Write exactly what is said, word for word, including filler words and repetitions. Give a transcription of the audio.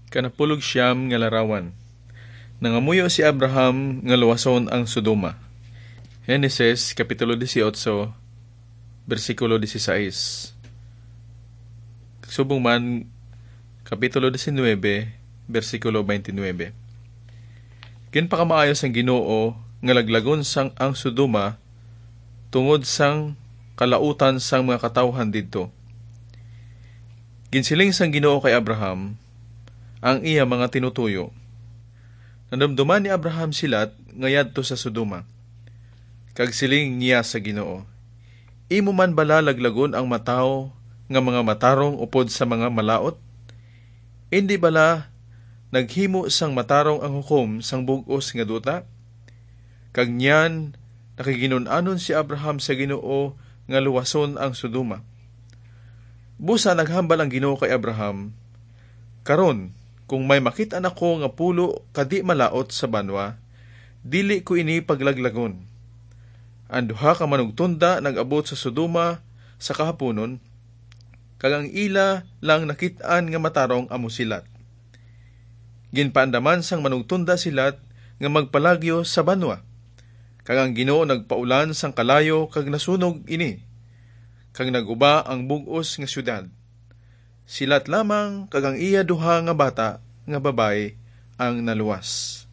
Kanapulog siyam nga larawan. Nangamuyo si Abraham nga luwason ang Sodoma. Genesis, Kapitulo dieciocho, bersikulo dieciséis. Subong man, Kapitulo diecinuebe, bersikulo twenty-nine. Ginpakamaayo sang Ginoo nga laglagon sang ang Sodoma tungod sang kalautan sang mga katawhan didto. Ginsiling sang Ginoo kay Abraham ang iya mga tinutuyo. Nadumduman ni Abraham si Lot nga yadto sa Sodoma, kag siling niya sa Ginoo, "Imo man bala laglagon ang matawo nga mga matarong upod sa mga malaut? Indi bala naghimo sang matarong ang hukom sang bug-os nga duta?" Kag niyan, nakiginun-anon si Abraham sa Ginoo nga luwason ang Sodoma. Busa naghambal ang Ginoo kay Abraham, "Karon, kung may makit-an ako nga pulo ka di malaut sa banwa, dili ko ini paglaglagon." Ang duha ka manugtunda nag-abot sa Sodoma sa kahapunon, kag ang ila lang nakit-an nga matarong amo si Lot. Ginpaandaman sang manugtunda si Lot nga magpalagyo sa banwa, kag ang Ginoo nagpaulan sang kalayo kag nasunog ini, kag nag-uba ang bug-os nga siyudad. Si Lot lamang kag ang iya duha nga bata nga babayi ang naluwas.